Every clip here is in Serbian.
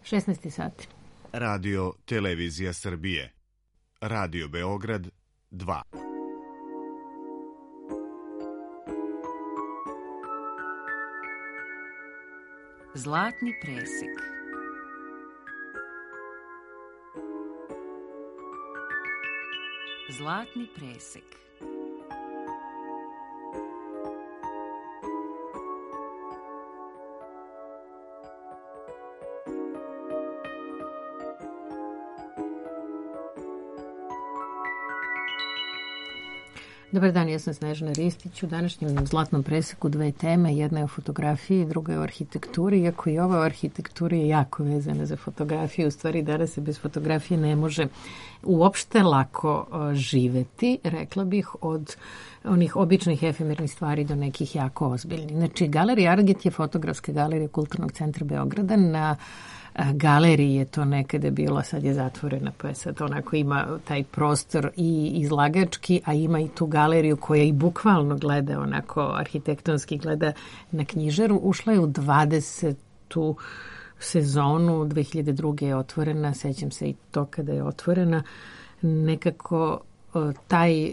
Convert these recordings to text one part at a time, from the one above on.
16 sati. Radio Televizija Srbije. Radio Beograd 2. Zlatni presek. Zlatni presek. Dobar dan, ja sam Snežana Ristić. U današnjem Zlatnom preseku dve teme. Jedna je o fotografiji, druga je o arhitekturi. Iako i ova o arhitekturi je jako vezana za fotografiju. U stvari danas se bez fotografije ne može uopšte lako živeti, rekla bih, od onih običnih efemernih stvari do nekih jako ozbiljnih. Znači, Galerija Arget je fotografska galerija Kulturnog centra Beograda. Na galeriji je to nekada bilo, sad je zatvorena, pa je sad onako ima taj prostor i izlagački, a ima i tu galeriju koja i bukvalno gleda onako arhitektonski, gleda na knjižaru. Ušla je u 20. sezonu, 2002. je otvorena, sećam se i to kada je otvorena. Nekako taj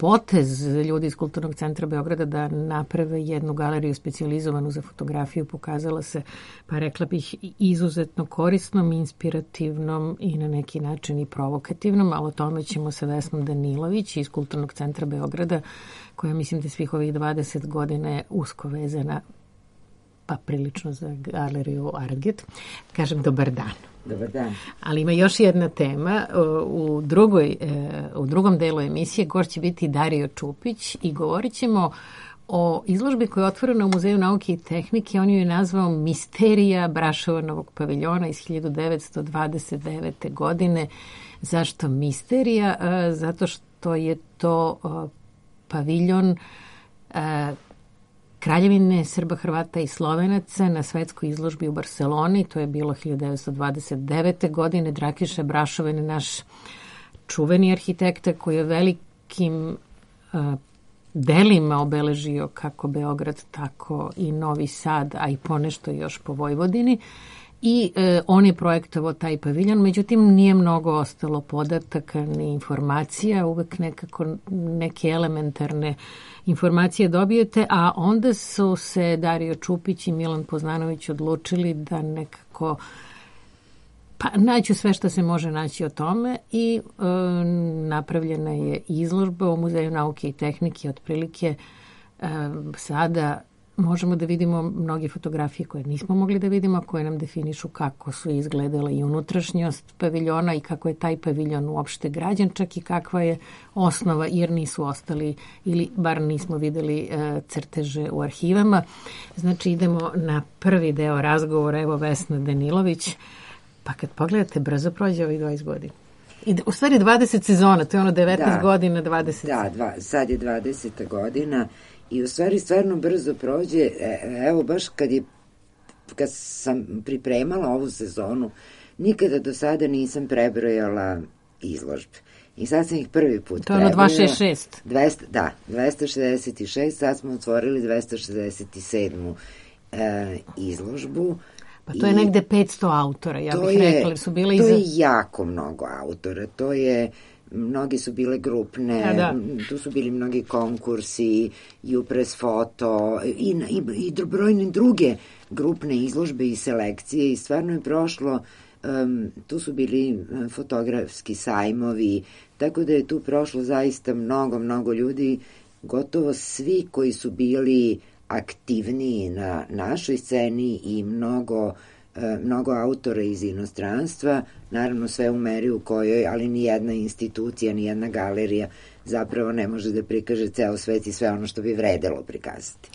potez ljudi iz Kulturnog centra Beograda da naprave jednu galeriju specijalizovanu za fotografiju pokazala se, pa rekla bih, izuzetno korisnom, inspirativnom i na neki način i provokativnom, ali o tome ćemo sa Vesnom Danilović iz Kulturnog centra Beograda, koja mislim da svih ovih 20 godina je usko vezana, pa prilično za galeriju Arget. Kažem dobar dan. Dobar dan. Ali ima još jedna tema. U drugom delu emisije gost će biti Dario Čupić i govorit ćemo o izložbi koja je otvorena u Muzeju nauke i tehnike. On ju je nazvao Misterija Brašovanovog paviljona iz 1929. godine. Zašto misterija? Zato što je to paviljon Kraljevine Srba, Hrvata i Slovenaca na svetskoj izložbi u Barseloni. To je bilo 1929. godine. Drakiša Brašovan je naš čuveni arhitekta koji je velikim delima obeležio kako Beograd, tako i Novi Sad, a i ponešto još po Vojvodini. I on je projektovao taj paviljon, međutim nije mnogo ostalo podataka ni informacija, uvek nekako neke elementarne informacije dobijete, a onda su se Dario Čupić i Milan Poznanović odlučili da nekako naću sve što se može naći o tome i napravljena je izložba u Muzeju nauke i tehnike. Otprilike sada možemo da vidimo mnoge fotografije koje nismo mogli da vidimo, koje nam definišu kako su izgledala i unutrašnjost paviljona i kako je taj paviljon uopšte građen, čak i kakva je osnova, jer nisu ostali ili bar nismo videli crteže u arhivama. Znači idemo na prvi deo razgovora. Evo Vesna Danilović. Pa kad pogledate, brzo prođe ovih 20 godina. U stvari 20 sezona, to je ono 19 godina, 20. Da, sad je 20. godina. I u stvari stvarno brzo prođe. Evo baš kad sam pripremala ovu sezonu, nikada do sada nisam prebrojala izložbe. I sad sam ih prvi put prebrojala. To je ono 266. Da, 266, sad smo otvorili 267. Izložbu. Pa to je negde 500 autora, ja bih rekla. To je jako mnogo autora, mnogi su bile grupne, tu su bili mnogi konkursi, Upres Foto i brojne druge grupne izložbe i selekcije i stvarno je prošlo, tu su bili fotografski sajmovi, tako da je tu prošlo zaista mnogo ljudi, gotovo svi koji su bili aktivniji na našoj sceni i mnogo autora iz inostranstva, naravno sve u meri u kojoj, ali ni jedna institucija, ni jedna galerija zapravo ne može da prikaže ceo svet i sve ono što bi vredelo prikazati.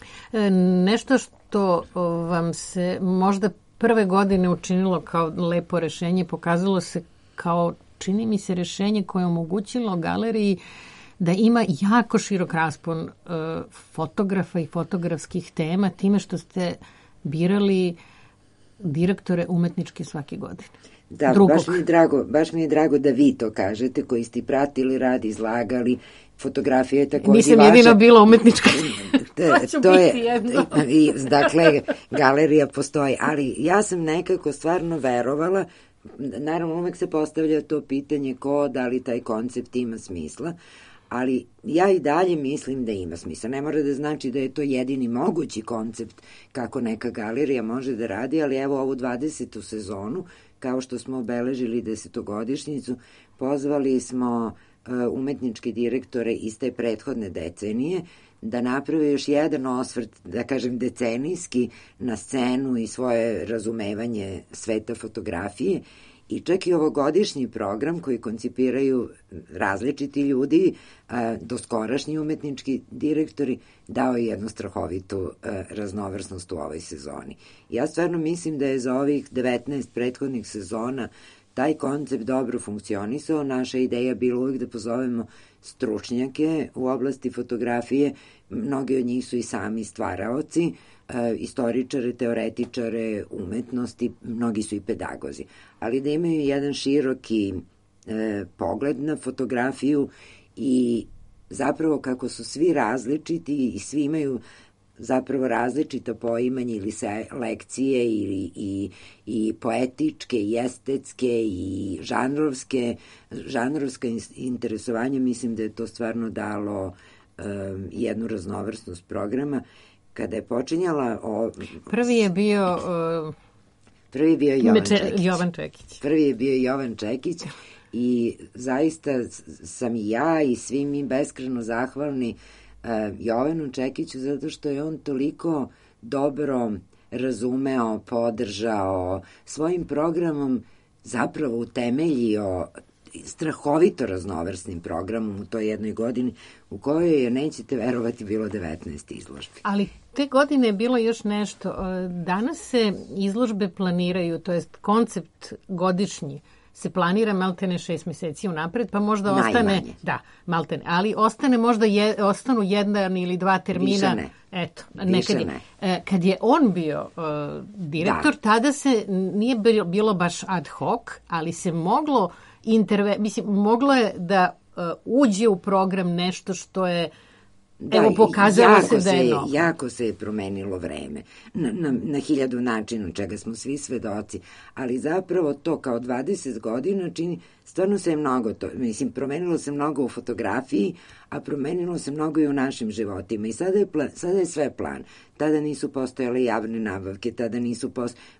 Nešto što vam se možda prve godine učinilo kao lepo rešenje, pokazalo se kao, čini mi se, rešenje koje je omogućilo galeriji da ima jako širok raspon fotografa i fotografskih tema, time što ste birali direktore umetnički svake godine. Da, baš mi je drago da vi to kažete, koji ste pratili rad, izlagali, fotografija je takođe Nisam vaša. jedina bila umetnička. To je, dakle, galerija postoji, ali ja sam nekako stvarno verovala, naravno uvek se postavlja to pitanje da li taj koncept ima smisla, ali ja i dalje mislim da ima smisla. Ne mora da znači da je to jedini mogući koncept kako neka galerija može da radi, ali evo ovu 20. sezonu, kao što smo obeležili 10-godišnjicu, pozvali smo umetničke direktore iz te prethodne decenije da naprave još jedan osvrt, da kažem decenijski, na scenu i svoje razumevanje sveta fotografije. I čak i ovogodišnji program koji koncipiraju različiti ljudi, doskorašnji umetnički direktori, dao je jednu strahovitu raznovrsnost u ovoj sezoni. Ja stvarno mislim da je za ovih 19 prethodnih sezona taj koncept dobro funkcionisao. Naša ideja bila uvijek da pozovemo stručnjake u oblasti fotografije, mnogi od njih su i sami stvaraoci, istoričare, teoretičare umetnosti, mnogi su i pedagozi, ali da imaju jedan široki pogled na fotografiju i zapravo kako su svi različiti i svi imaju zapravo različita poimanja ili lekcije i poetičke i estetske i žanrovska interesovanja, mislim da je to stvarno dalo jednu raznovrsnost programa. Kada je počinjala... Prvi je bio Jovan Čekić. Prvi je bio Jovan Čekić i zaista sam i ja i svi mi beskreno zahvalni Jovanu Čekiću zato što je on toliko dobro razumeo, podržao, svojim programom zapravo utemeljio strahovito raznovrsnim programom u toj jednoj godini u kojoj je, nećete verovati, bilo 19 izložbi. Ali te godine je bilo još nešto. Danas se izložbe planiraju, to jest koncept godišnji se planira maltene 6 meseci unapred, pa možda ostane... Da, maltene, ali ostane možda ostanu jedan ili dva termina. Više ne. Eto, nekad je. Kad je on bio direktor, tada se nije bilo baš ad hoc, ali se moglo moglo je da uđe u program nešto što je pokazalo se da je novo. Jako se je promenilo vreme na hiljadu načina, čega smo svi svedoci, ali zapravo to kao 20 godina čini, stvarno se je mnogo promenilo se mnogo u fotografiji, a promenilo se mnogo i u našim životima i sada je sve plan. Tada nisu postojale javne nabavke, tada nisu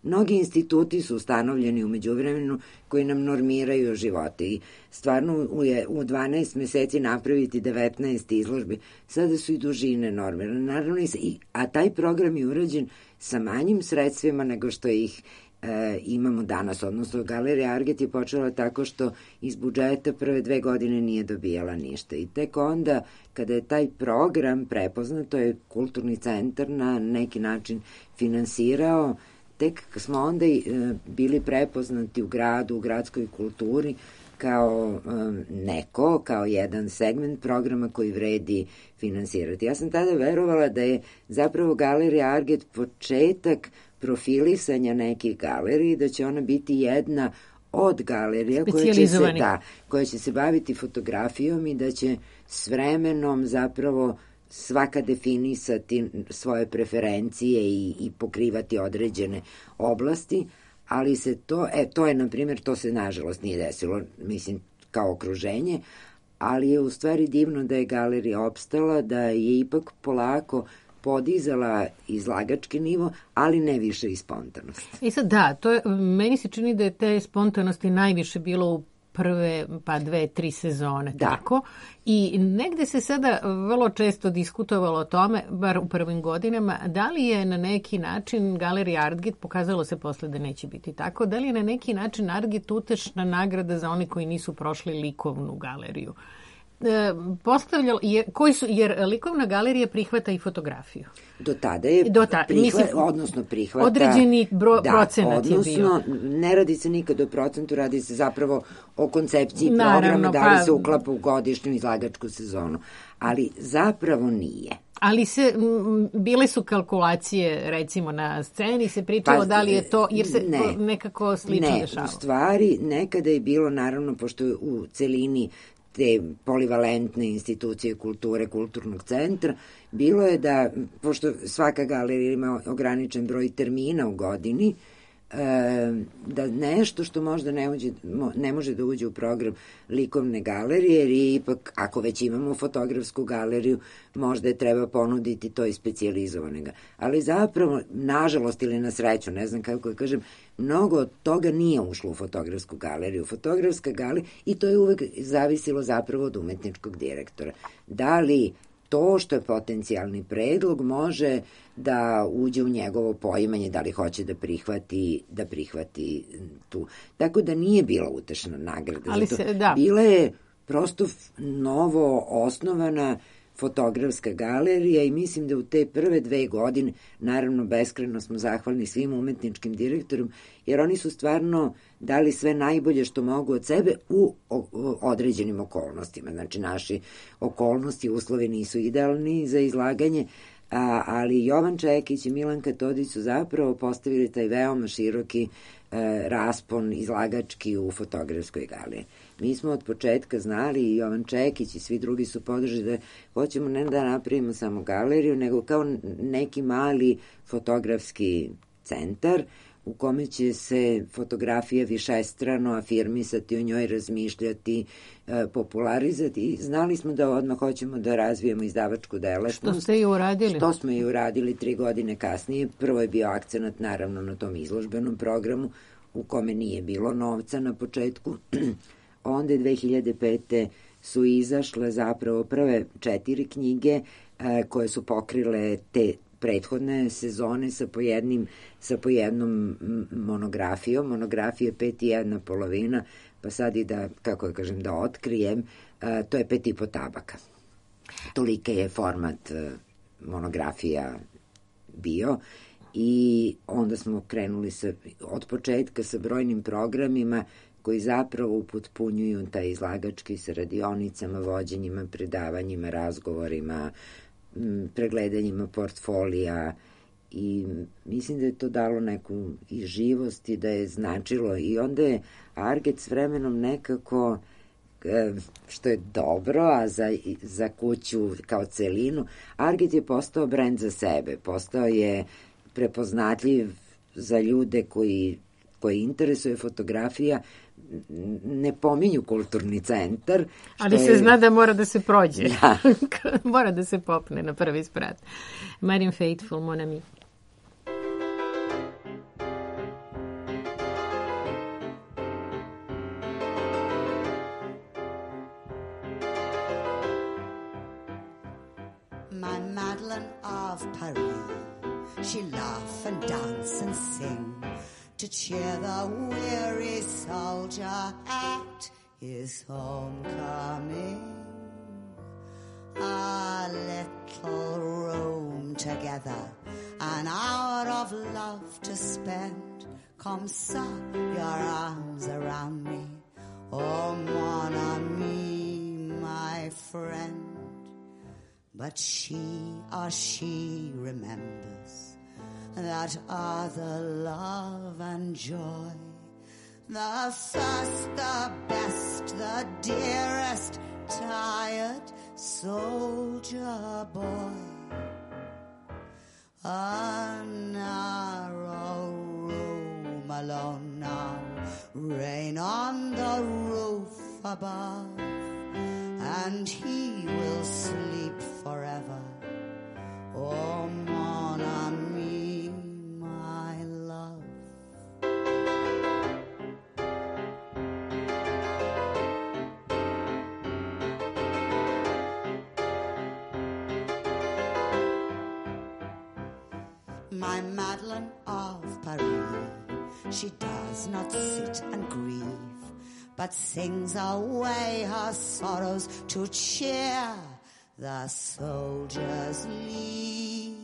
mnogi instituti su ustanovljeni u međuvremenu koji nam normiraju živote i stvarno u 12 meseci napraviti 19 izložbi, sada su i dužine normirane, naravno a taj program je urađen sa manjim sredstvima nego što ih imamo danas, odnosno Galerija Arget je počela tako što iz budžeta prve 2 godine nije dobijala ništa i tek onda kada je taj program prepoznato je Kulturni centar na neki način finansirao, tek smo onda bili prepoznati u gradu, u gradskoj kulturi kao kao jedan segment programa koji vredi finansirati. Ja sam tada verovala da je zapravo Galerija Arget početak profilisanja nekih galerija, da će ona biti jedna od galerija koja će se baviti fotografijom i da će s vremenom zapravo svaka definisati svoje preferencije i pokrivati određene oblasti, ali se to je, na primjer, to se nažalost nije desilo, mislim, kao okruženje, ali je u stvari divno da je galerija opstala, da je ipak polako podizala izlagački nivo, ali ne više i spontanost. I sad meni se čini da je te spontanosti najviše bilo u prve 2-3 sezone. Tako. I negde se sada vrlo često diskutovalo o tome, bar u prvim godinama, da li je na neki način Galerija Arget, pokazalo se posle da neće biti tako, da li je na neki način Arget utešna nagrada za oni koji nisu prošli likovnu galeriju. Jer likovna galerija prihvata i fotografiju. Do tada je prihvata određeni procenat je bio. Odnosno, ne radi se nikad o procentu, radi se zapravo o koncepciji programa, da li se uklapa u godišnju izlagačku sezonu. Ali zapravo nije. Ali bile su kalkulacije, recimo, na sceni, se pričalo da li je to, jer se nekako slično dešava. Ne, u stvari, nekada je bilo, naravno, pošto u celini te polivalentne institucije kulture, kulturnog centra, bilo je da, pošto svaka galerija ima ograničen broj termina u godini, da nešto što možda ne može da uđe u program likovne galerije, jer je ipak, ako već imamo fotografsku galeriju, možda je treba ponuditi to i specijalizovanega. Ali zapravo, nažalost ili na sreću, ne znam kako da kažem, mnogo od toga nije ušlo u fotografsku galeriju. Fotografska galerija, i to je uvek zavisilo zapravo od umetničkog direktora. Da li to što je potencijalni predlog može da uđe u njegovo poimanje, da li hoće da prihvati tu. Tako da nije bila utešna nagrada. Ali bila je prosto novo osnovana fotografska galerija i mislim da u te prve 2 godine, naravno beskrajno smo zahvalni svim umetničkim direktorom, jer oni su stvarno dali sve najbolje što mogu od sebe u određenim okolnostima. Znači, naši okolnosti, uslovi nisu idealni za izlaganje, ali Jovan Čekić i Milanka Todić su zapravo postavili taj veoma široki raspon izlagački u fotografskoj galeriji. Mi smo od početka znali, i Jovan Čekić i svi drugi su podržali da hoćemo ne da napravimo samo galeriju, nego kao neki mali fotografski centar u kome će se fotografija višestrano afirmisati, o njoj razmišljati, popularizati. I znali smo da odmah hoćemo da razvijemo izdavačku delatnost. Što ste i uradili. Što smo i uradili 3 godine kasnije. Prvo je bio akcenat naravno na tom izložbenom programu u kome nije bilo novca na početku. Onda 2005. su izašle zapravo prve 4 knjige koje su pokrile te prethodne sezone sa po jednom monografijom. Monografije 5 i 1 polovina, pa sad i da, kako da kažem, da otkrijem, to je 5,5 tabaka. Tolika je format monografija bio i onda smo krenuli od početka sa brojnim programima koji zapravo upotpunjuju taj izlagački sa radionicama, vođenjima, predavanjima, razgovorima, pregledanjima portfolija i mislim da je to dalo neku i živost i da je značilo i onda je Arget s vremenom nekako, što je dobro, a za kuću kao celinu, Arget je postao brend za sebe, postao je prepoznatljiv za ljude koji interesuje fotografija, ne pominju kulturni centar. Ali se zna da mora da se prođe. Da. Mora da se popne na prvi sprat. Marian Faithfull, Mon ami. My Madeleine of Paris, she laugh and dance and sing to cheer the weary soldier at his homecoming. A little room together, an hour of love to spend. Come, ça, your arms around me, oh mon ami, my friend. But she remembers that other love and joy, the first, the best, the dearest, tired soldier boy. A narrow room alone now, rain on the roof above, and he will sleep forever. Oh, mon ami, my love. My Madeleine of Paris, she does not sit and grieve, but sings away her sorrows to cheer the soldiers leave.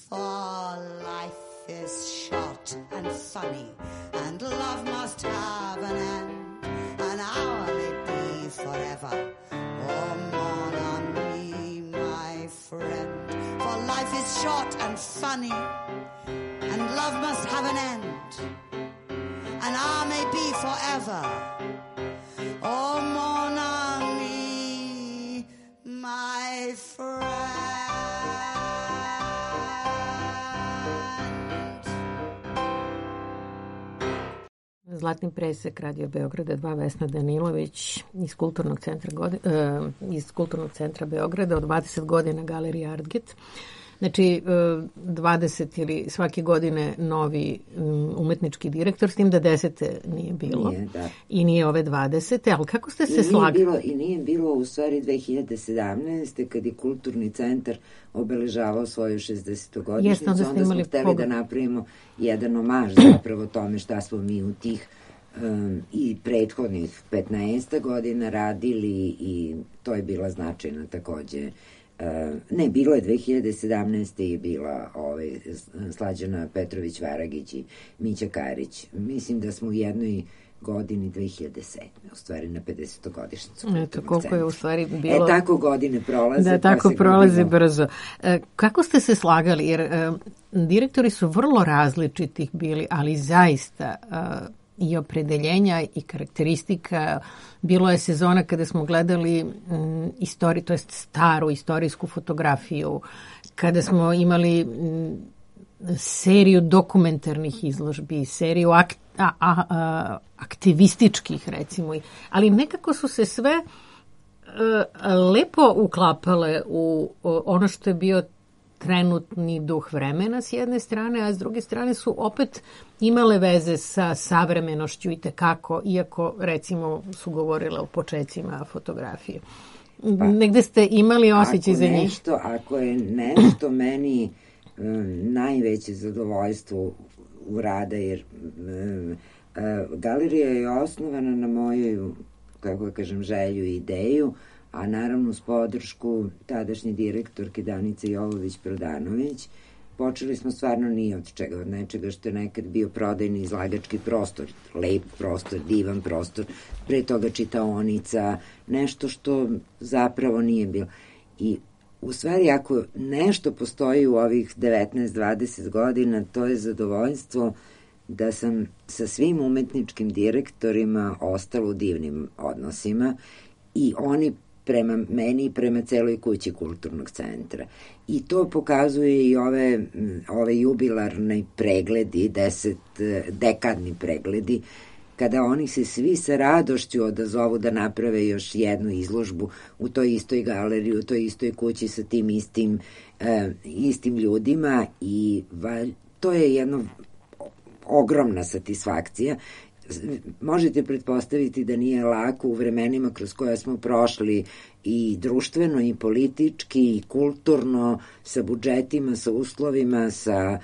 For life is short and funny, and love must have an end. An hour may be forever. Oh, mon ami, my friend. life is short and funny, and love must have an end, and I may be forever. Oh, mon ami, my friend. Zlatni presek Radio Beograda 2, Vesna Danilović iz Kulturnog centra Beograda, od 20 godina Galerija Artget. Znači, 20 ili svake godine novi umetnički direktor, s tim da 10. nije bilo. Nije, da. I nije ove 20. Ali kako ste se slagali? I nije bilo u stvari 2017. kad je Kulturni centar obeležavao svoju 60. godišnjicu. Onda smo hteli da napravimo jedan omaž zapravo tome šta smo mi u tih i prethodnih 15 godina radili, i to je bila značajna takođe. Ne, bilo je 2017. je bila Slađana Petrović-Varagić i Mića Karić. Mislim da smo u jednoj godini 2007. u stvari na 50. godišnjicu. Eto, koliko je u stvari bilo... tako godine prolaze. Da, tako prolaze brzo. Kako ste se slagali? Jer direktori su vrlo različitih bili, ali zaista i opredeljenja i karakteristika. Bilo je sezona kada smo gledali to jest staru istorijsku fotografiju, kada smo imali seriju dokumentarnih izložbi, seriju aktivističkih, recimo. Ali nekako su se sve lepo uklapale u ono što je bio trenutni duh vremena s jedne strane, a s druge strane su opet imale veze sa savremenošću i tekako, iako recimo su govorile o počecima fotografije. Negde ste imali osjećaj za njih? Ako je nešto meni najveće zadovoljstvo u rada, jer galerija je osnovana na moju, kako kažem, želju i ideju, a naravno s podršku tadašnje direktorke Danice Jovović-Prodanović. Počeli smo stvarno nije od čega, od nečega što je nekad bio prodajni izlagački prostor, lep prostor, divan prostor, pre toga čitaonica, nešto što zapravo nije bilo. I u stvari, ako nešto postoji u ovih 19-20 godina, to je zadovoljstvo da sam sa svim umetničkim direktorima ostala u divnim odnosima, i oni prema meni i prema celoj kući Kulturnog centra. I to pokazuje i ove jubilarne pregledi, dekadni pregledi, kada oni se svi sa radošću odazovu da naprave još jednu izložbu u toj istoj galeriji, u toj istoj kući sa tim istim ljudima, i to je jedna ogromna satisfakcija. Možete pretpostaviti da nije lako u vremenima kroz koje smo prošli i društveno i politički i kulturno, sa budžetima, sa uslovima, sa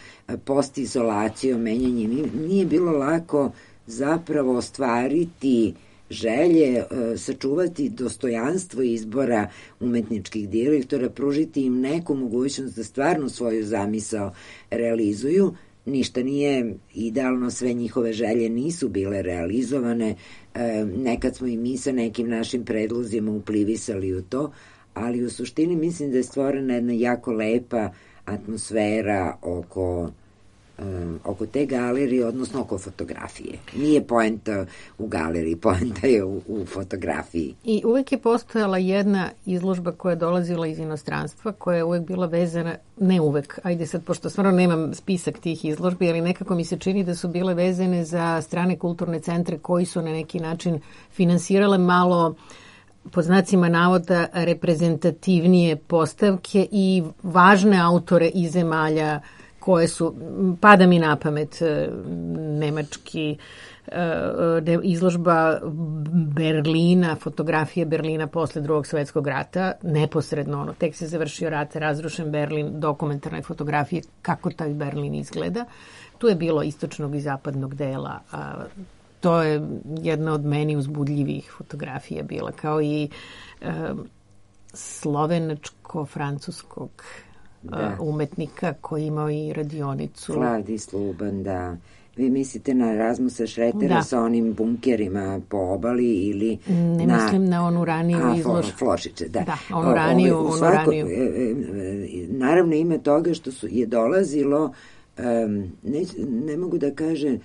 postizolacijom, menjanjem. Nije bilo lako zapravo ostvariti želje, sačuvati dostojanstvo izbora umetničkih direktora, pružiti im neku mogućnost da stvarno svoju zamisao realizuju. Ništa nije idealno, sve njihove želje nisu bile realizovane, nekad smo i mi sa nekim našim predlozima uplivisali u to, ali u suštini mislim da je stvorena jedna jako lepa atmosfera oko te galerije, odnosno oko fotografije. Nije poenta u galeriji, poenta je u fotografiji. I uvek je postojala jedna izložba koja je dolazila iz inostranstva, koja je uvek bila vezana, ne uvek, ajde sad, pošto stvarno nemam spisak tih izložbi, ali nekako mi se čini da su bile vezane za strane kulturne centre koji su na neki način finansirale malo, pod znacima navoda, reprezentativnije postavke i važne autore iz zemalja koje su, pada mi na pamet nemački izložba Berlina, fotografije Berlina posle Drugog svetskog rata, neposredno, tek se završio rat, razrušen Berlin, dokumentarne fotografije, kako taj Berlin izgleda. Tu je bilo istočnog i zapadnog dela, to je jedna od meni uzbudljivih fotografija bila, kao i slovenačko-francuskog umetnika koji imao i radionicu. Vladi Sluban, da. Vi mislite na Rasmusa Šretera sa onim bunkerima po obali ili mislim na onu raniju izložbu. Flošiće, da. Da, onu raniju. Naravno ime toga što je dolazilo, ne mogu da kažem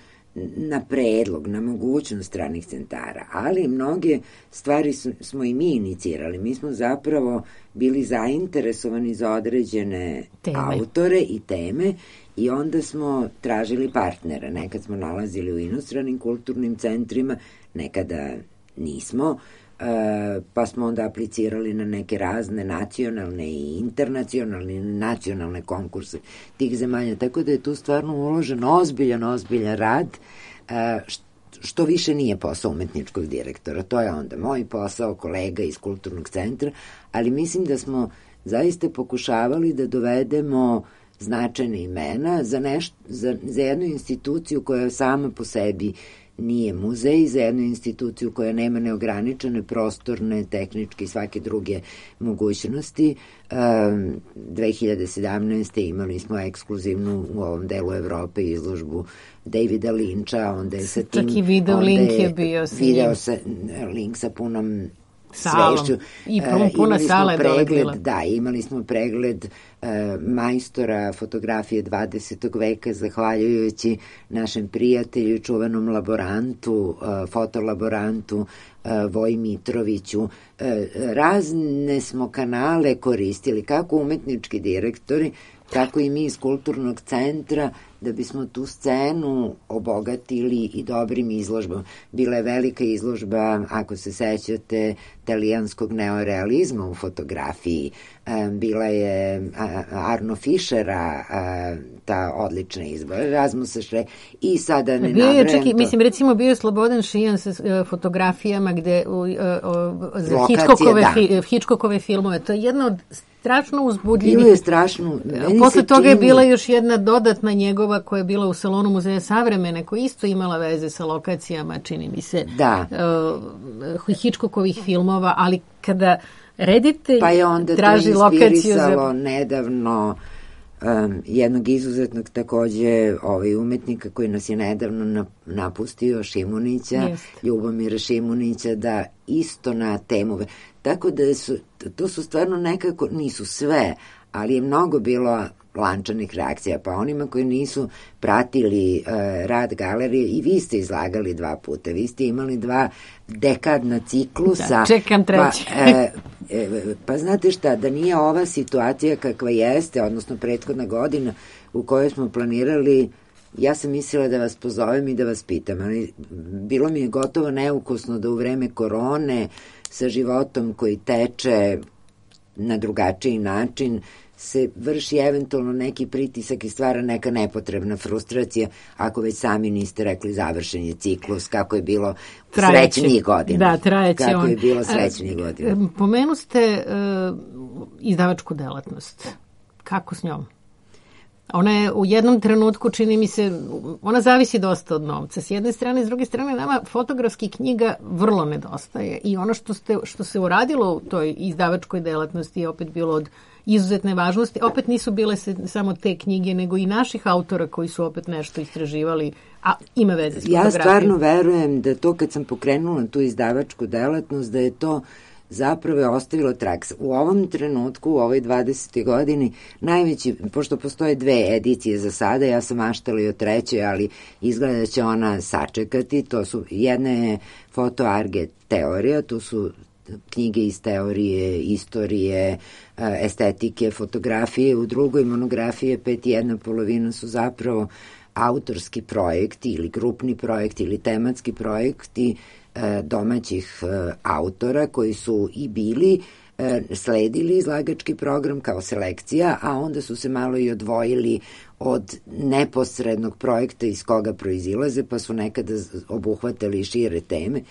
na predlog, na mogućnost stranih centara, ali mnoge stvari smo i mi inicirali. Mi smo zapravo bili zainteresovani za određene autore i teme i onda smo tražili partnera. Nekad smo nalazili u inostranim kulturnim centrima, nekada nismo, pa smo onda aplicirali na neke razne nacionalne i internacionalne nacionalne konkurse tih zemalja, tako da je tu stvarno uložen ozbiljan rad, što više nije posao umetničkog direktora. To je onda moj posao, kolega iz kulturnog centra, ali mislim da smo zaista pokušavali da dovedemo značajne imena za jednu instituciju koja sama po sebi nije muzej, za jednu instituciju koja nema neograničene prostorne, tehničke i svake druge mogućnosti. 2017. imali smo ekskluzivnu u ovom delu Evrope izložbu Davida Linča, onda je sa tim... Čak i video link je bio s njim. Link sa punom salom. Svešću. I puna sala je dobila. Da, imali smo pregled majstora fotografije 20. veka, zahvaljujući našem prijatelju i čuvenom laborantu, fotolaborantu Voji Mitroviću. Razne smo kanale koristili, kako umetnički direktori, tako i mi iz kulturnog centra, da bismo tu scenu obogatili i dobrim izložbom. Bila je velika izložba, ako se sećate, talijanskog neorealizma u fotografiji. Bila je Arno Fischera, ta odlična izbora, Rasmusa Šretera, i sada ne nabrajam to. Mislim, recimo bio je Slobodan Šijan sa fotografijama gde za Hitchcockove filmove. To je jedno od strašno uzbudljivih. Bilo je strašno. Posle toga je bila još jedna dodatna njegova koja je bila u Salonu Muzeja savremene, koja isto imala veze sa lokacijama, čini mi se, Hitchcockovih filmova, ali kada reditelj traži lokaciju... Pa je onda to inspirisalo nedavno jednog izuzetnog takođe umetnika koji nas je nedavno napustio, Šimunića, Ljubomira Šimunića, da isto na temu. Tako da to su stvarno nekako, nisu sve, ali je mnogo bilo lančanih reakcija, pa onima koji nisu pratili rad galerije, i vi ste izlagali 2 puta, vi ste imali 2 dekadna ciklusa. Da, čekam treći. Pa znate šta, da nije ova situacija kakva jeste, odnosno prethodna godina u kojoj smo planirali, ja sam mislila da vas pozovem i da vas pitam, ali bilo mi je gotovo neukusno da u vreme korone sa životom koji teče na drugačiji način se vrši eventualno neki pritisak i stvara neka nepotrebna frustracija, ako već sami niste rekli završen je ciklus, kako je bilo srećnijih godina. Da, trajeće on. Kako je bilo srećnijih godina. Pomenu ste izdavačku delatnost. Kako s njom? Ona je u jednom trenutku, čini mi se, ona zavisi dosta od novca. S jedne strane, s druge strane, nama fotografskih knjiga vrlo nedostaje i ono što se uradilo u toj izdavačkoj delatnosti je opet bilo od izuzetne važnosti. Opet nisu bile samo te knjige, nego i naših autora koji su opet nešto istraživali, a ima veze s fotografijom. Ja stvarno verujem da to kad sam pokrenula tu izdavačku delatnost, da je to zapravo je ostavilo trag. U ovom trenutku, u ovoj 20. godini, najveći, pošto postoje 2 edicije za sada, ja sam maštala i o 3, ali izgleda da će ona sačekati. To su, jedna je Foto Arge teorija, to su knjige iz teorije, istorije, estetike, fotografije. U drugoj monografije 5,5 su zapravo autorski projekti ili grupni projekti ili tematski projekti domaćih autora koji su i bili sledili izlagački program kao selekcija, a onda su se malo i odvojili od neposrednog projekta iz koga proizilaze, pa su nekada obuhvatali šire teme.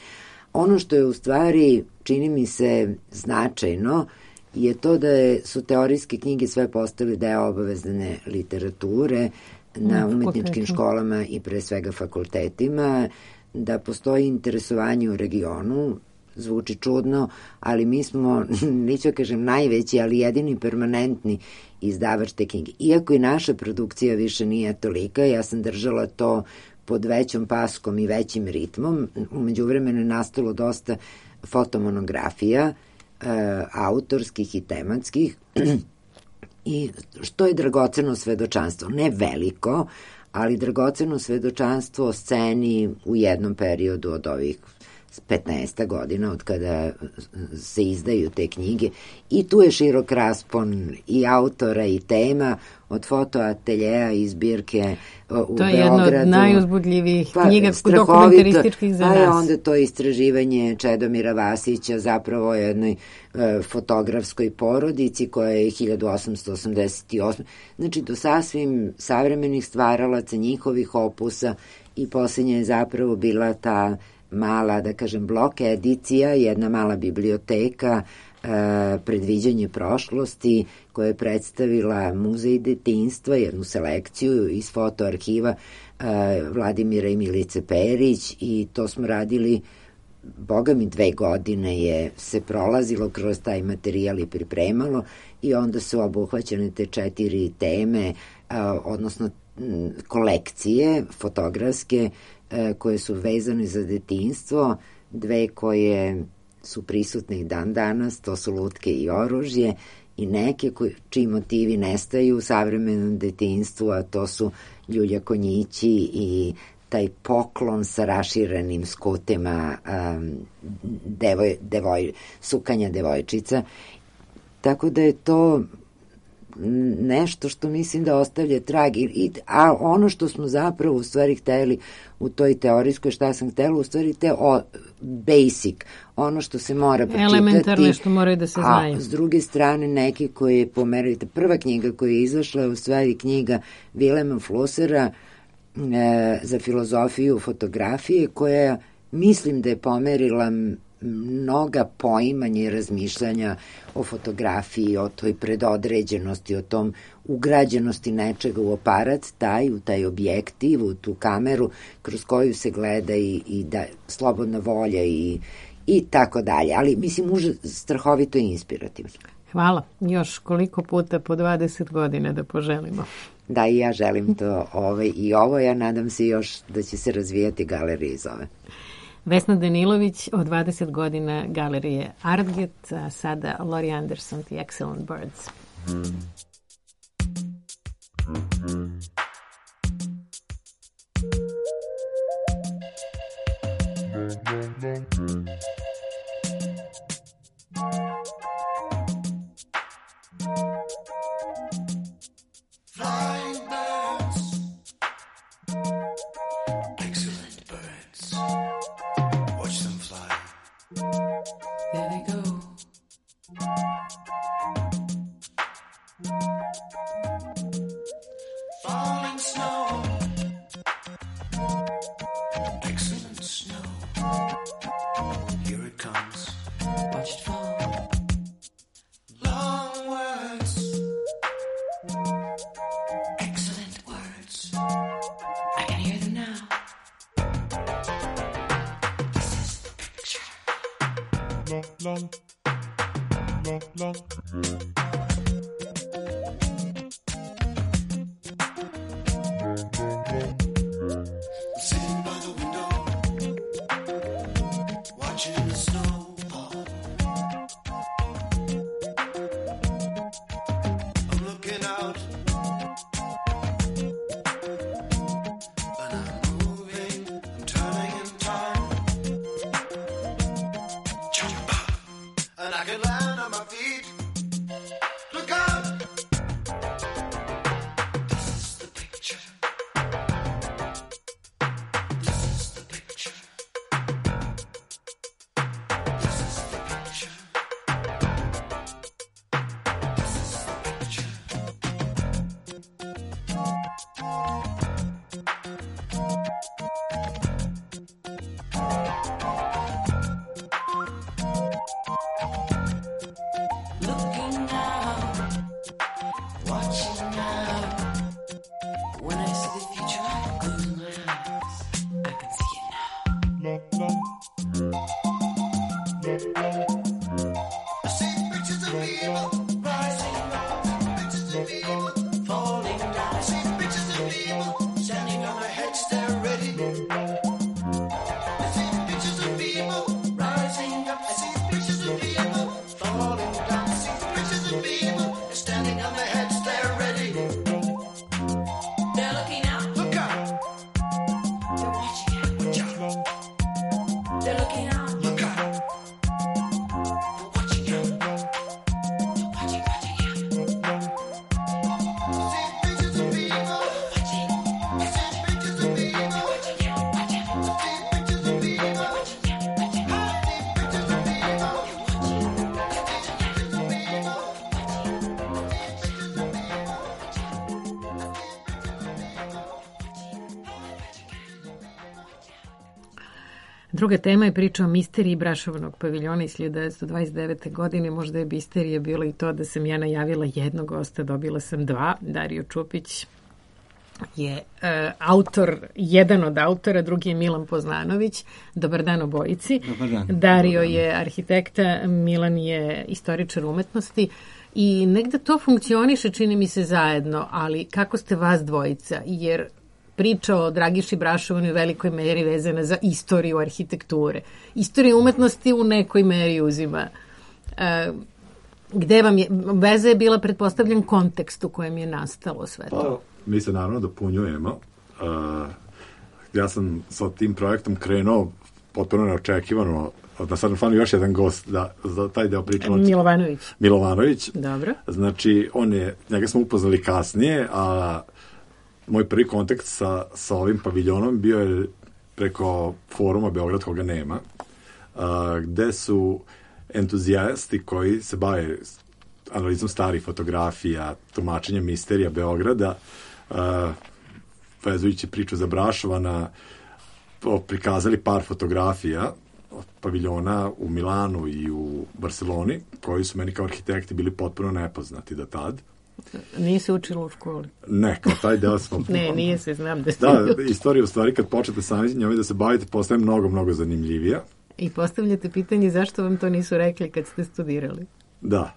Ono što je u stvari, čini mi se, značajno je to da su teorijske knjige sve postale deo obavezne literature na umetničkim školama i pre svega fakultetima, da postoji interesovanje u regionu, zvuči čudno, ali mi smo, neću kažem najveći, ali jedini permanentni izdavač te knjige. Iako i naša produkcija više nije tolika, ja sam držala to pod većom paskom i većim ritmom. Umeđu vremenu je nastalo dosta fotomonografija, autorskih i tematskih, i što je dragoceno svedočanstvo. Ne veliko, ali dragoceno svedočanstvo o sceni u jednom periodu od ovih 15 godina od kada se izdaju te knjige, i tu je širok raspon i autora i tema, od fotoateljeja i zbirke u Beogradu. To je jedna od najuzbudljivijih knjiga dokumentarističkih za nas. Pa je onda to istraživanje Čedomira Vasića zapravo o jednoj fotografskoj porodici koja je 1888. Znači do sasvim savremenih stvaralaca, njihovih opusa, i posljednja je zapravo bila ta mala, da kažem, blok edicija, jedna mala biblioteka, predviđanje prošlosti, koja je predstavila Muzej detinjstva, jednu selekciju iz fotoarhiva Vladimira i Milice Perić, i to smo radili, boga mi 2 godine je se prolazilo kroz taj materijal i pripremalo, i onda su obuhvaćene te 4 teme, odnosno kolekcije fotografske koje su vezane za detinjstvo, 2 koje su prisutne i dan danas, to su Lutke i oružje, i neke čiji motivi nestaju u savremenom detinjstvu, a to su Ljulja konjići i taj poklon sa raširenim skutima sukanja devojčica. Tako da je to nešto što mislim da ostavlja trag, a ono što smo zapravo u stvari hteli u toj teorijskoj, šta sam htela, u stvari basic, ono što se mora pročitati. Elementarne što moraju da se znaju. A s druge strane neki koji je pomerili, prva knjiga koja je izašla je u stvari knjiga Vilema Flusera za filozofiju fotografije, koja mislim da je pomerila mnoga poimanja i razmišljanja o fotografiji, o toj predodređenosti, o tom ugrađenosti nečega u aparat, u taj objektiv, u tu kameru kroz koju se gleda i da slobodna volja i tako dalje. Ali mislim, strahovito i inspirativno. Hvala. Još koliko puta po 20 godina da poželimo. Da, i ja želim to i ovo. Ja nadam se još da će se razvijati galerija iz ove. Vesna Danilović od 20 godina galerije Artget, a sada Laurie Anderson, The Excellent Birds. Flying birds, excellent birds. Watch them fly. There they go. Falling snow, excellent snow. Here it comes. Watch it fall. Long words, excellent words. I can hear them now. This is the picture. Long, long, long, long. Sitting by the window, watching the snow fall. I'm looking out, and I'm moving, I'm turning in time. Jump up, and I can land on my feet. Look out! This is the picture. This is the picture. This is the picture. This is the picture. Looking out, watching now. When I see the future, I close my eyes. I can see it now. Long, long, long. I see pictures of people rising up, pictures of people falling down. I see pictures of people standing on their heads, they're ready. Druga tema je priča o misteriji Brašovanog paviljona iz 1929. godine. Možda je misterija bilo i to da sam ja najavila jednog gosta, dobila sam dva. Dario Čupić je autor, jedan od autora, drugi je Milan Poznanović. Dobar dan obojici. Dobar dan. Dario je arhitekta, Milan je istoričar umetnosti i negde to funkcioniše, čini mi se, zajedno, ali kako ste vas dvojica? Jer priča o Dragiši Brašovanu je u velikoj meri vezana za istoriju arhitekture. Istorija umetnosti u nekoj meri uzima. Gde vam je, veza je bila, pretpostavljen, kontekst u kojem je nastalo sve to? Mi se naravno dopunjujemo. Ja sam sa tim projektom krenuo potpuno neočekivano. Da sad fanu još jedan gost da za taj deo pričamo. Milovanović. Dobro. Znači, njega smo upoznali kasnije, a moj prvi kontakt sa ovim paviljonom bio je preko foruma Beograd koga nema, gde su entuzijasti koji se bave analizom starih fotografija, tumačenjem misterija Beograda, vezujući priču za Brašovana, prikazali par fotografija paviljona u Milanu i u Barceloni, koji su meni kao arhitekti bili potpuno nepoznati do tad. Nije se učilo u školi? Ne, kao taj deo smo... Ne, nije se, znam da ste... Da, istorija u stvari kad počete sami njome da se bavite, postaje mnogo, mnogo zanimljivija. I postavljate pitanje zašto vam to nisu rekli kad ste studirali? Da,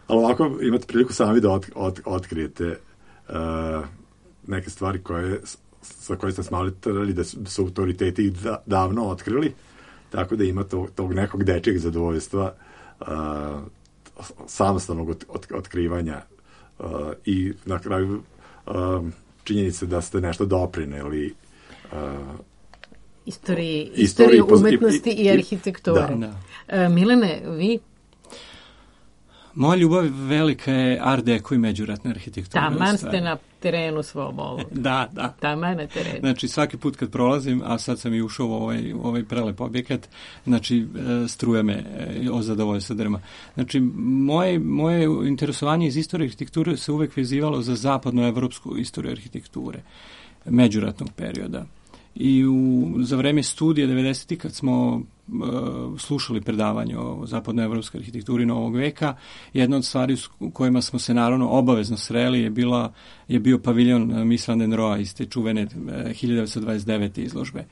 ali ovako imate priliku sami da otkrijete neke stvari sa koje ste smatrali da su autoriteti davno otkrili, tako da ima tog nekog dečijeg zadovoljstva samostalnog otkrivanja i na kraju činjenice da ste nešto doprineli istoriji umetnosti i arhitekture. Da. Milane, vi? Moja ljubav velika je art deco i međuratna arhitektura. Taman ste na terenu svom ovom. Da. Taman na terenu. Znači, svaki put kad prolazim, a sad sam i ušao u ovaj prelep objekat, znači, struja me o zadovoljstvo drma. Znači, moje interesovanje iz istorije arhitekture se uvek vezivalo za zapadnoevropsku istoriju arhitekture, međuratnog perioda. I za vreme studija 90. kad smo slušali predavanje o zapadnoevropskoj arhitekturi novog veka, jedna od stvari u kojima smo se naravno obavezno sreli je bio paviljon Mies van den Rohe iz te čuvene 1929. izložbe.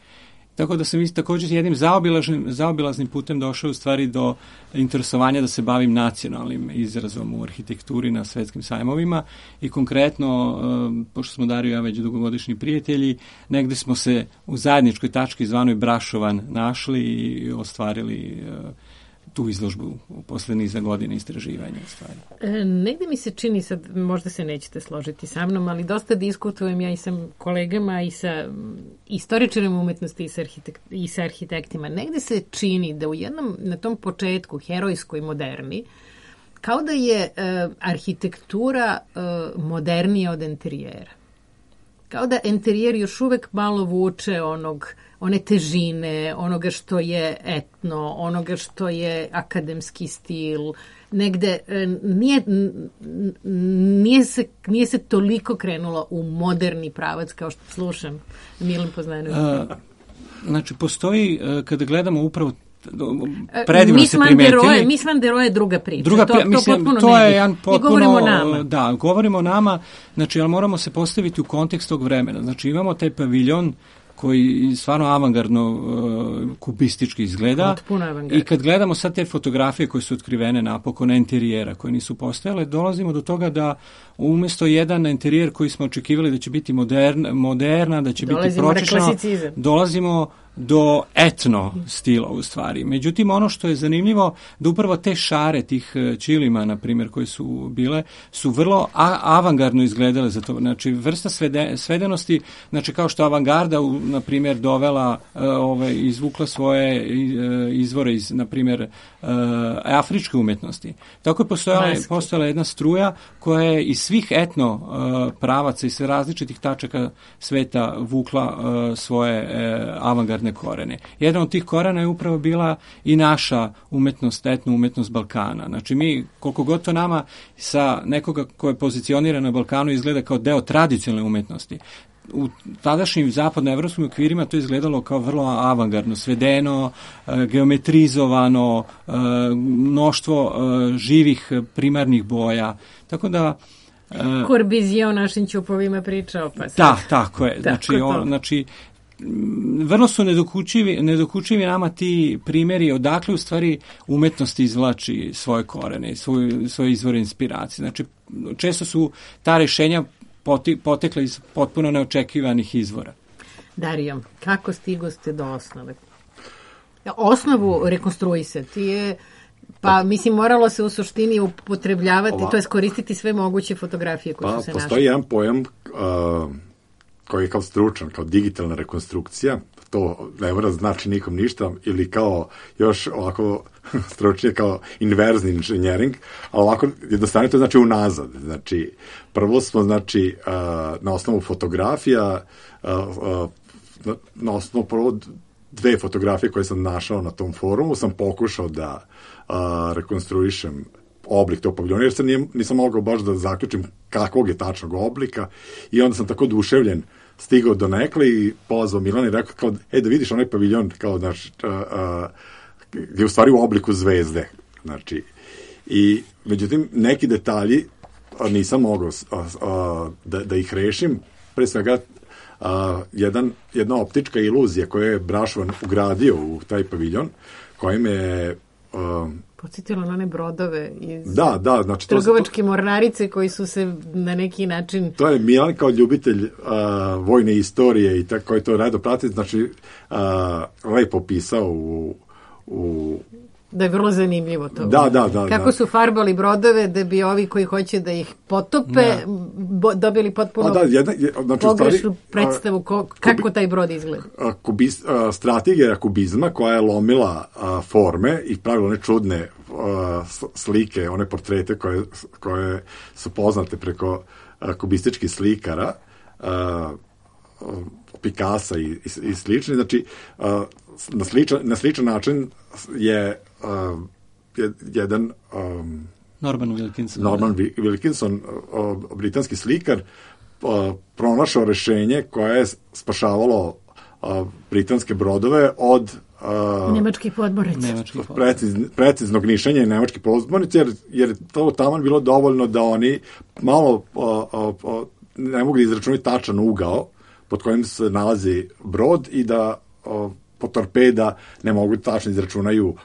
Tako da sam također jednim zaobilaznim putem došao u stvari do interesovanja da se bavim nacionalnim izrazom u arhitekturi na svetskim sajmovima i konkretno, pošto smo Dario i ja već dugogodišnji prijatelji, negde smo se u zajedničkoj tački zvanoj Brašovan našli i ostvarili tu izložbu posle niza godina istraživanja stvari. Negde mi se čini, sad možda se nećete složiti sa mnom, ali dosta diskutujem ja i sa kolegama i sa istoričarima umetnosti i sa arhitektima. Negde se čini da u jednom, na tom početku, herojskoj moderni, kao da je arhitektura modernija od enterijera. Kao da enterijer još uvek malo vuče one težine, onoga što je etno, onoga što je akademski stil. Negde nije se toliko krenulo u moderni pravac kao što slušam Milan Poznanović. Znači, postoji, kada gledamo upravo predivno se primetili. Mies van der Rohe je druga priča. To je jedan potpuno... Govorimo o nama. Da, govorimo o nama, znači, ali moramo se postaviti u kontekst tog vremena. Znači, imamo taj paviljon koji stvarno avangardno kubistički izgleda. I kad gledamo sad te fotografije koje su otkrivene napokon interijera, koje nisu postojale, dolazimo do toga da umjesto jedan interijer koji smo očekivali da će biti moderna, da će biti pročešano, dolazimo do etno stila u stvari. Međutim, ono što je zanimljivo, da upravo te šare tih ćilima, na primjer, koje su bile, su vrlo avangardno izgledale za to. Znači, vrsta svedenosti, znači kao što avangarda, na primjer, dovela, izvukla svoje izvore iz, na primjer, afričke umetnosti. Tako je postojala jedna struja koja je iz svih etno pravaca i sve različitih tačaka sveta vukla svoje avangardne korene. Jedan od tih korena je upravo bila i naša umetnost, etno umetnost Balkana. Znači mi, koliko god to nama sa nekoga ko je pozicioniran na Balkanu izgleda kao deo tradicionalne umetnosti, u tadašnjim zapadnoevropskim okvirima to izgledalo kao vrlo avangardno, svedeno, geometrizovano, mnoštvo živih primarnih boja. Tako da Corbizije o našim ćupovima pričao, pa sad. Da, tako je. Znači, vrlo su nedokučivi nama ti primjeri odakle u stvari umetnost izvlači svoje korene, svoje izvore inspiracije. Znači, često su ta rešenja potekla iz potpuno neočekivanih izvora. Dario, kako stigoste do osnove? Osnovu rekonstruisati je, pa mislim, moralo se u suštini upotrebljavati, to je koristiti sve moguće fotografije koje su se našle. Postoji jedan pojam koji je kao stručan, kao digitalna rekonstrukcija, to ne mora znači nikom ništa, ili kao još ovako stručnije kao inverzni inženjering, ali ovako jednostavno to znači unazad. Znači, prvo smo, znači, na osnovu fotografija, na osnovu prvo 2 fotografije koje sam našao na tom forumu, sam pokušao da rekonstruišem oblik tog paviljona, jer se nisam mogao baš da zaključim kakvog je tačnog oblika, i onda sam tako oduševljen stigao do nekle i pozvao Milana i rekao kao, da vidiš onaj paviljon kao, znači, je u stvari u obliku zvezde. Znači, i međutim, neki detalji nisam mogao da ih rešim. Pre svega, jedna optička iluzija koju je Brašovan ugradio u taj paviljon, kojim je podsjetilo na one brodove iz znači, trgovačke mornarice koji su se na neki način... To je Milan kao ljubitelj vojne istorije i tako koji to rado prati, znači lepo pisao u da je vrlo zanimljivo to. Da. Kako su farbali brodove da bi ovi koji hoće da ih potope dobili potpuno pogrešnu predstavu kako taj brod izgleda. Strategija kubizma koja je lomila forme i pravila one čudne slike, one portrete koje su poznate preko kubističkih slikara, Picassa i slični. Znači, na sličan način je jedan Norman Wilkinson, britanski slikar, pronašao rešenje koje je spašavalo britanske brodove od nemačkih podmornica. Preciznog nišanja i nemačkih podmornica, jer to taman bilo dovoljno da oni malo ne mogu izračunati tačan ugao pod kojim se nalazi brod i da po torpeda ne mogu tačno izračunaju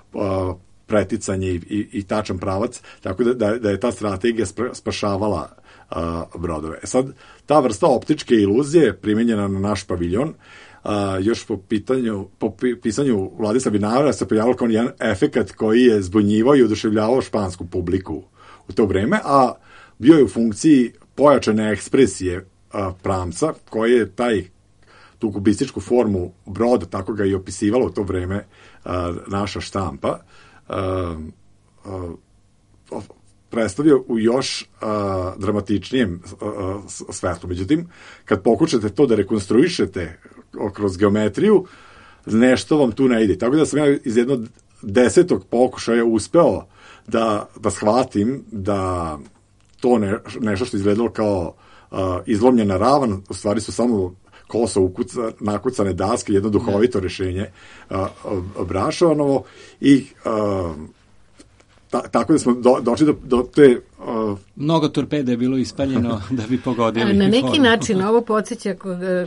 preticanje i tačan pravac, tako da je ta strategija spašavala brodove. Sad, ta vrsta optičke iluzije primenjena na naš paviljon, još po pisanju Vladislava Vinara se pojavilo kao jedan efekat koji je zbunjivao i oduševljavao špansku publiku u to vreme, a bio je u funkciji pojačane ekspresije pramca, koji je tu kubističku formu broda, tako ga i opisivala u to vreme naša štampa, predstavio u još dramatičnijem svetlu. Međutim, kad pokušate to da rekonstruišete kroz geometriju, nešto vam tu ne ide. Tako da sam ja iz jednog 10. pokušaja uspeo da shvatim da to nešto što izgledalo kao izlomljena ravan, u stvari su samo koso nakucane daske, jedno duhovito rešenje Brašovanovo, i tako da smo došli do te... Mnogo torpede je bilo ispaljeno da bi pogodili. Na neki način ovo podsjeća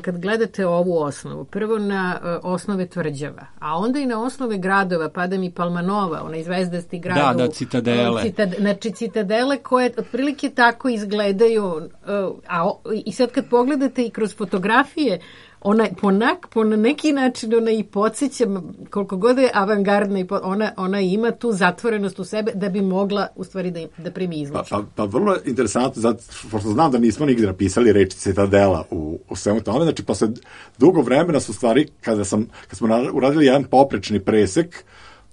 kad gledate ovu osnovu. Prvo na osnove tvrđava, a onda i na osnove gradova. Pada mi Palmanova, onaj zvezdasti grad. Da, citadele. Znači citadele koje otprilike tako izgledaju. I sad kad pogledate i kroz fotografije, po neki način ona i podsjeća, koliko god je avangardna, ona ima tu zatvorenost u sebe da bi mogla u stvari da primi izloču. Pa vrlo interesantno, zato što znam da nismo nigde napisali reči citadela u svemu tome, znači posle dugo vremena su stvari, kad smo uradili jedan poprečni presek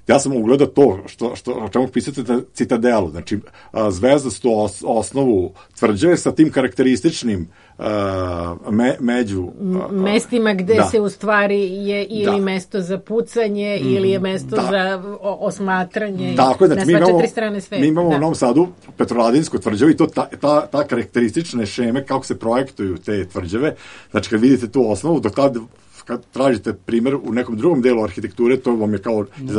ja sam ugledao to o čemu pisate Citadelu, znači zvezdastu osnovu tvrđave sa tim karakterističnim mestima gde se u stvari je ili mesto za pucanje ili je mesto za osmatranje. Tako je, znači na sva 4 strane sveta. Mi imamo u Novom Sadu Petroladinsku tvrđavu i to ta karakteristične šeme kako se projektuju te tvrđave, znači kad vidite tu osnovu, do tada kad tražite primjer u nekom drugom delu arhitekture, to vam je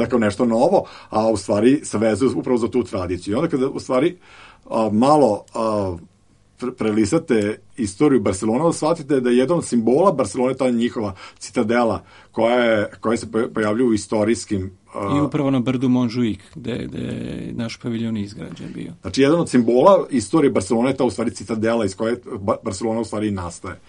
kao nešto novo, a u stvari se vezuje upravo za tu tradiciju. I onda kada u stvari malo prelistate istoriju Barcelona, shvatite da je jedan od simbola Barcelone ta njihova citadela koja se pojavljuje u istorijskim... I upravo na brdu Montjuic, gde je naš paviljon izgrađen bio. Znači, jedan od simbola istorije Barcelone je ta u stvari citadela iz koje Barcelona u stvari nastaje.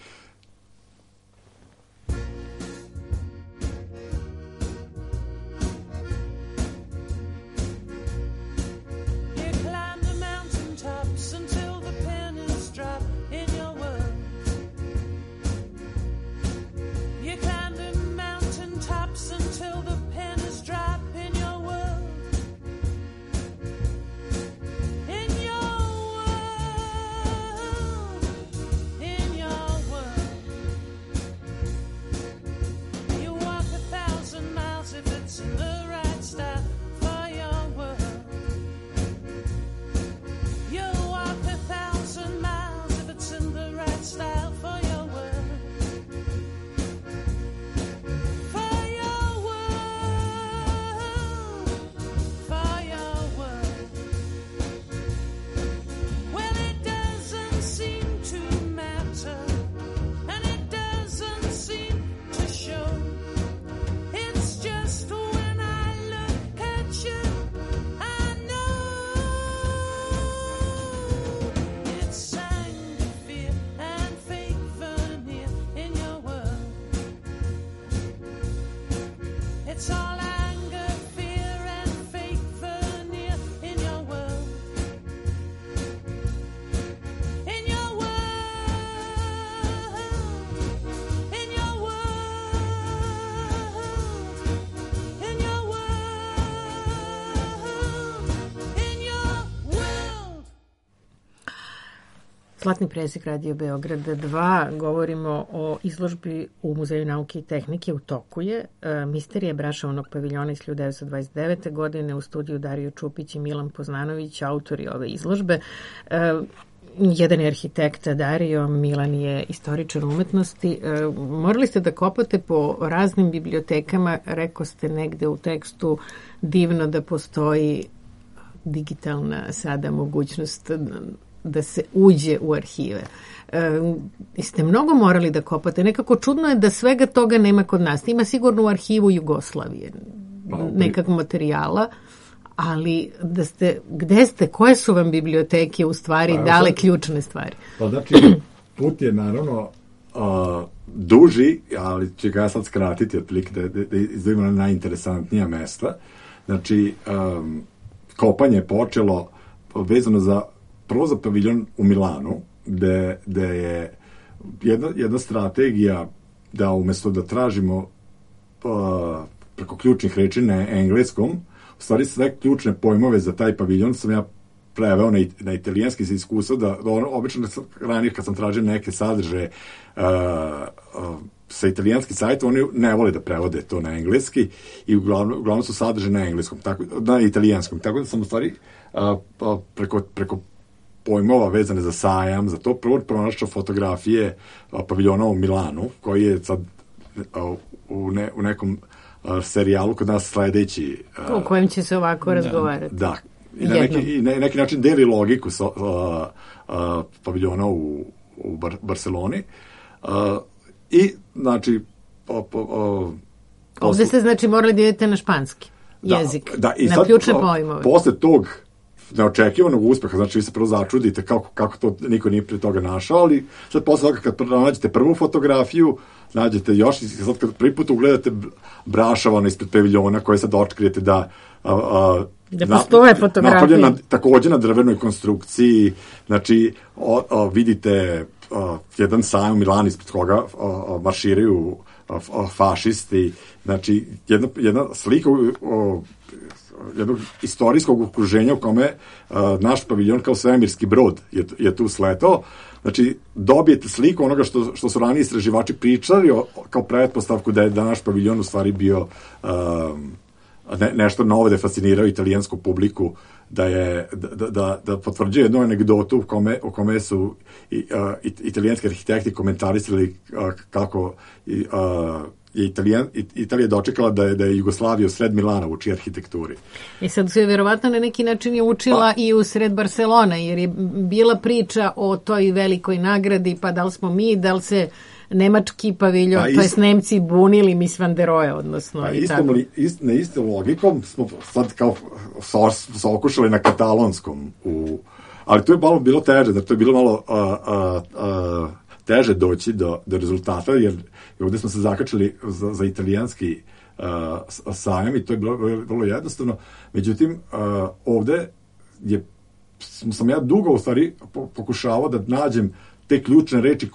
Zlatni presek Radio Beograd 2. Govorimo o izložbi u Muzeju nauke i tehnike u toku je. Misterija Brašovnog paviljona iz 1929. godine, u studiju Dario Čupić i Milan Poznanović, autori ove izložbe. Jedan je arhitekta Dario, Milan je istoričar umetnosti. Morali ste da kopate po raznim bibliotekama, rekao ste negde u tekstu divno da postoji digitalna sada mogućnost da se uđe u arhive. Ste mnogo morali da kopate. Nekako čudno je da svega toga nema kod nas. Ima sigurno u arhivu Jugoslavije nekakvog materijala, ali gde ste, koje su vam biblioteke u stvari dale ključne stvari? Pa znači, put je naravno duži, ali će ga ja sad skratiti otprilike da izdvojimo na najinteresantnija mesta. Znači, kopanje je počelo vezano za prvo za paviljon u Milanu, gde je jedna strategija da umesto da tražimo preko ključnih reči na engleskom, u stvari sve ključne pojmove za taj paviljon sam ja preveo na italijanski iz iskustva, da obično ranije kad sam tražio neke sadržaje sa italijanskih sajta, oni ne vole da prevode to na engleski i uglavnom su sadržaje na engleskom, na italijanskom, tako da sam u stvari preko pojmova vezane za sajam, za to prvo pronašao fotografije paviljona u Milanu, koji je sad u nekom serijalu kod nas sledeći. O kojem će se ovako razgovarati. Da. I na neki način deli logiku paviljona u Barceloni. I, znači... Ovde ste, znači, morali da idete na španski jezik. Da, i na ključne pojmove. Posle tog neočekivanog uspeha, znači vi se prvo začudite kako to niko nije pre toga našao, ali sad posle toga kad nađete prvu fotografiju, nađete još i sad kad prvi put ugledate Brašovana ispred paviljona koje sad otkrijete da postoje fotografije. Takođe na drvenoj konstrukciji, znači vidite jedan sajam u Milanu ispred koga marširaju fašisti, znači jedna slika jednog istorijskog okruženja u kome naš paviljon kao svemirski brod je tu sletao. Znači, dobijete sliku onoga što su ranije istraživači pričali kao pretpostavku da je naš paviljon u stvari bio nešto novo, da je fascinirao italijansku publiku, da potvrđuje jednu anegdotu u kome su italijanski arhitekti komentarisali kako Italija dočekala da je Jugoslavija u sred Milana uči arhitekturi. I sad se verovatno na neki način je učila i u sred Barcelona, jer je bila priča o toj velikoj nagradi, pa da li smo mi, da li se nemački paviljon, to jest Nemci bunili Miss van der Rohe, odnosno na istom logikom smo sad kao okušali na katalonskom, ali to je malo bilo teže, da to je bilo malo teže doći do rezultata, jer ovdje smo se zakačili za italijanski sajam i to je bilo vrlo jednostavno. Međutim, ovdje sam ja dugo u stvari pokušavao da nađem te ključne reči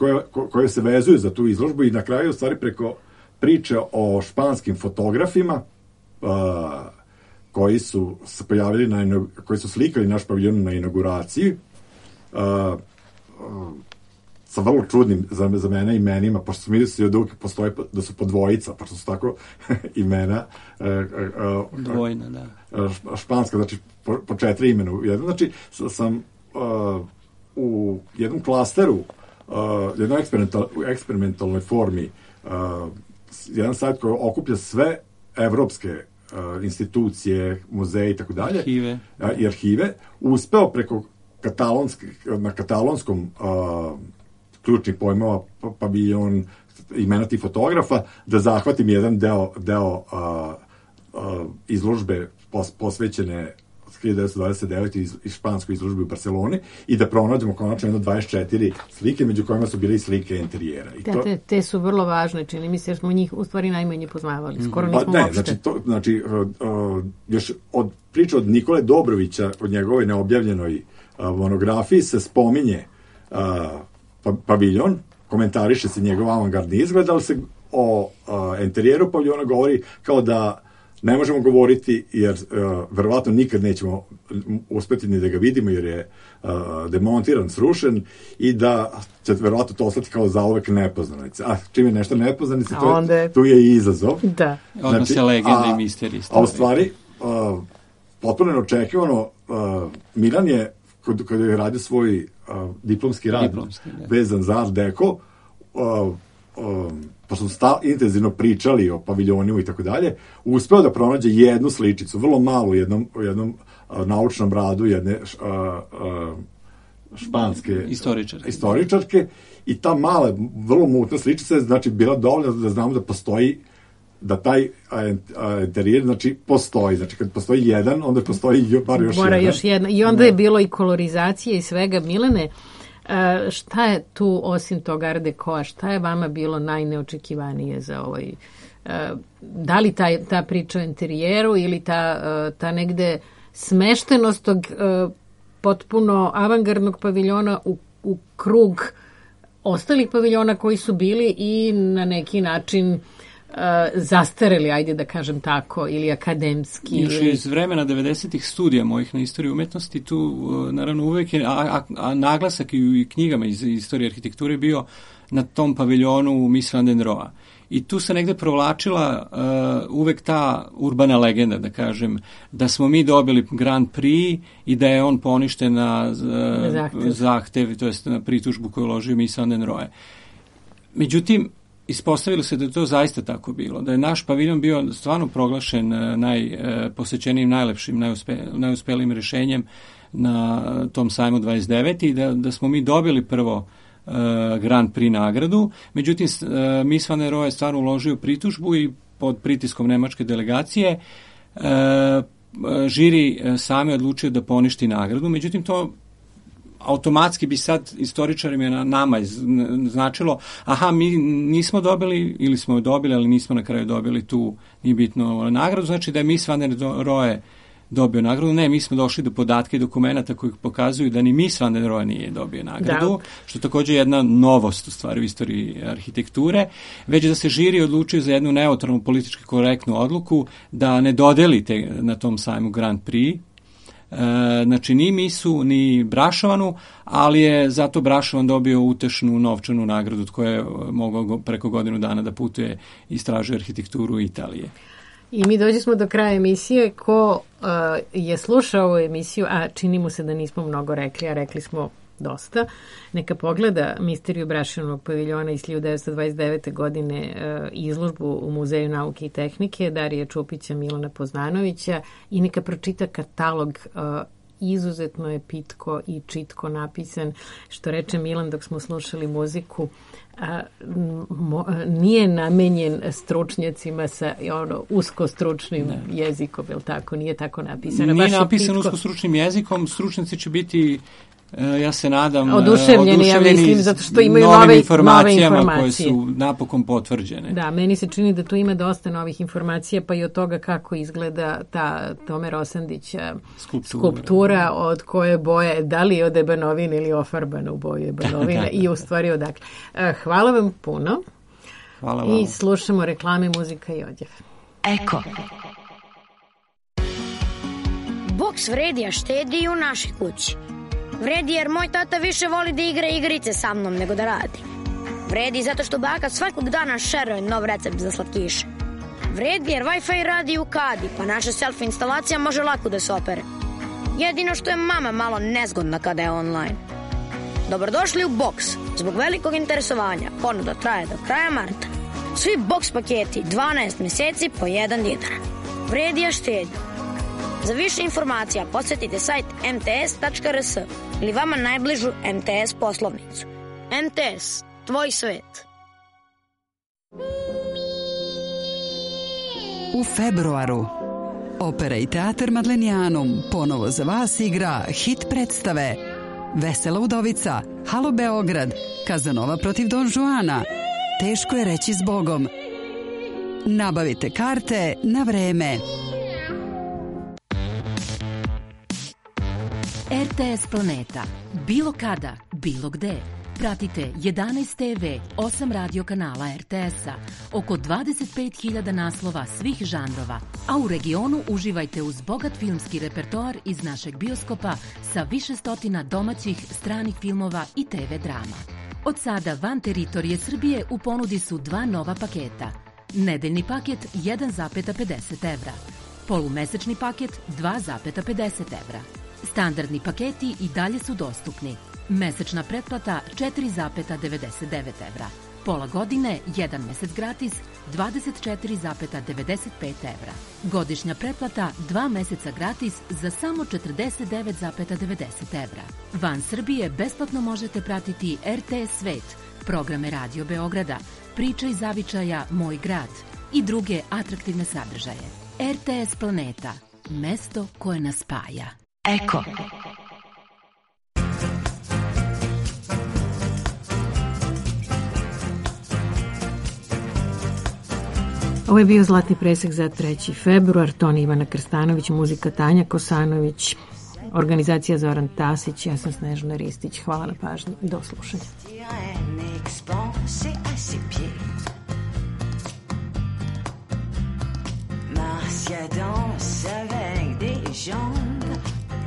koje se vezuju za tu izložbu i na kraju u stvari preko priče o španskim fotografima koji su se pojavili koji su slikali naš paviljon na inauguraciji, sa vrlo čudnim za mene imenima, pošto su mislili da su po dvojica, pošto su tako imena dvojna, da. Španska, znači po 4 imena. Znači, sam u jednom klasteru, jednoj eksperimentalnoj formi, jedan sajt koji okuplja sve evropske institucije, muzeje i tako dalje, i arhive, uspeo preko na katalonskom ključnih pojmova, paviljon, imena tih fotografa, da zahvatim jedan deo izložbe posvećene 1929. iz španskoj izložbe u Barceloni i da pronađemo konačno jedno 24 slike, među kojima su bile i slike interijera. Te su vrlo važne, čini mi se, jer smo njih u stvari najmanje poznavali. Skoro nismo uopšte. Znači, još od priče od Nikole Dobrovića, od njegovoj neobjavljenoj monografiji se spominje paviljon, komentariše se njegov avangardni izgled, ali se o interijeru paviljona govori kao da ne možemo govoriti, jer verovatno nikad nećemo uspeti ni da ga vidimo, jer je demontiran, srušen i da će verovatno to ostati kao zauvek nepoznanice. A čim je nešto nepoznanice, tu je i izazov. Da. Odmah se legende i misterije. A u stvari, potpuno neočekivano, Milan je, kada je radio svoj diplomski rad vezan za Art Deco, pošto su intenzivno pričali o paviljonima i tako dalje, uspeo da pronađe jednu sličicu, vrlo malu, u jednom naučnom radu jedne španske istoričarke, i ta mala, vrlo mutna sličica je, znači, bila dovoljna da znamo da postoji, da taj interijer, znači, postoji. Znači, kad postoji jedan, onda postoji bar još jedan. I onda je bilo i kolorizacije i svega. Milene, šta je tu, osim toga Art Deco, šta je vama bilo najneočekivanije za ovaj... Da li ta priča o interijeru ili ta negde smeštenost tog potpuno avangardnog paviljona u krug ostalih paviljona koji su bili i na neki način zastareli, ajde da kažem tako, ili akademski. Još iz vremena 90-ih studija mojih na istoriji umetnosti, tu naravno uvek je naglasak i knjigama iz istorije arhitekture bio na tom paviljonu Miss van der Rohe. I tu se negde provlačila uvek ta urbana legenda, da kažem, da smo mi dobili Grand Prix i da je on poništen na zahtev, to jest na pritužbu koju uložio Miss van der Rohe. Međutim, ispostavilo se da je to zaista tako bilo, da je naš paviljon bio stvarno proglašen najposećenijim, najlepšim, najuspelijim rješenjem na tom sajmu 29. i da smo mi dobili prvo Grand Prix nagradu. Međutim, Miss van der Rohe je stvarno uložio pritužbu i pod pritiskom nemačke delegacije žiri same odlučio da poništi nagradu. Međutim, to automatski bi sad istoričarima nama značilo, mi nismo dobili, ili smo je dobili, ali nismo na kraju dobili tu, nije bitno, nagradu. Znači da je Miss van der Rohe dobio nagradu. Ne, mi smo došli do podatka i dokumenta koji pokazuju da ni Mies van der Rohe nije dobio nagradu, što je također jedna novost u stvari u istoriji arhitekture, već da se žiri odlučio za jednu neutralnu politički korektnu odluku da ne dodelite na tom sajmu Grand Prix. Znači ni Misu ni Brašovanu, ali je zato Brašovan dobio utešnu novčanu nagradu od koje je mogao preko godinu dana da putuje i istražuje arhitekturu Italije. I mi dođemo do kraja emisije. Ko je slušao ovu emisiju, a čini mu se da nismo mnogo rekli, a rekli smo dosta, neka pogleda Misteriju Brašovanog paviljona iz 1929. godine, izložbu u Muzeju nauke i tehnike Darija Čupića, Milana Poznanovića, i neka pročita katalog. Izuzetno je pitko i čitko napisan. Što reče Milan dok smo slušali muziku, nije namenjen stručnjacima sa usko stručnim jezikom, je li tako? Nije tako napisano. Nije napisan usko stručnim jezikom, stručnjaci će biti, ja se nadam, oduševljeni, ja mislim, zato što imaju nove informacije koje su napokon potvrđene. Da, meni se čini da tu ima dosta novih informacija, pa i od toga kako izgleda ta Tome Rosandića skulptura, od koje boje, da li je od ebanovine ili ofarbana u boju ebanovine i u stvari odakle. Hvala vam puno. Hvala vam. I slušamo reklame, muzika i odjev. Eko. Boks vredi, a štedi i u našoj kući. Vredi jer moj tata više voli da igra igrice sa mnom nego da radi. Vredi zato što baka svakog dana šeruje nov recept za slatkiše. Vredi jer Wi-Fi radi u kadi, pa naša selfie instalacija može lako da se opere. Jedino što je mama malo nezgodna kada je online. Dobrodošli u Box. Zbog velikog interesovanja ponuda traje do kraja marta. Svi Box paketi 12 meseci po 1 dinar. Vredi, a štedi. Za više informacija posjetite sajt mts.rs ili vama najbližu MTS poslovnicu. MTS, tvoj svet. U februaru Opera i teatar Madlenijanum ponovo za vas igra hit predstave Vesela udovica, Halo Beograd, Kazanova protiv Don Juana, Teško je reći zbogom. Nabavite karte na vreme. RTS Planeta. Bilo kada, bilo gde. Pratite 11 TV, 8 radio kanala RTS-a, oko 25.000 naslova svih žanrova, a u regionu uživajte uz bogat filmski repertoar iz našeg bioskopa sa više stotina domaćih, stranih filmova i TV drama. Od sada van teritorije Srbije u ponudi su 2 nova paketa. Nedeljni paket 1,50 evra. Polumesečni paket 2,50 evra. Standardni paketi i dalje su dostupni. Mesečna pretplata 4,99 evra. Pola godine, 1 mesec gratis, 24,95 evra. Godišnja pretplata 2 meseca gratis za samo 49,90 evra. Van Srbije besplatno možete pratiti RTS Svet, programe Radio Beograda, Priče iz zavičaja Moj grad i druge atraktivne sadržaje. RTS Planeta, mesto koje nas spaja. Eko. Ovo je bio Zlatni presek za 3. februar, ton Ivana Krstanović, muzika Tanja Kosanović, organizacija Zoran Tasić, ja sam Snežana Ristić. Hvala na pažnji i do slušanja. Marcia danse avec des jambes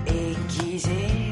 aiguisées.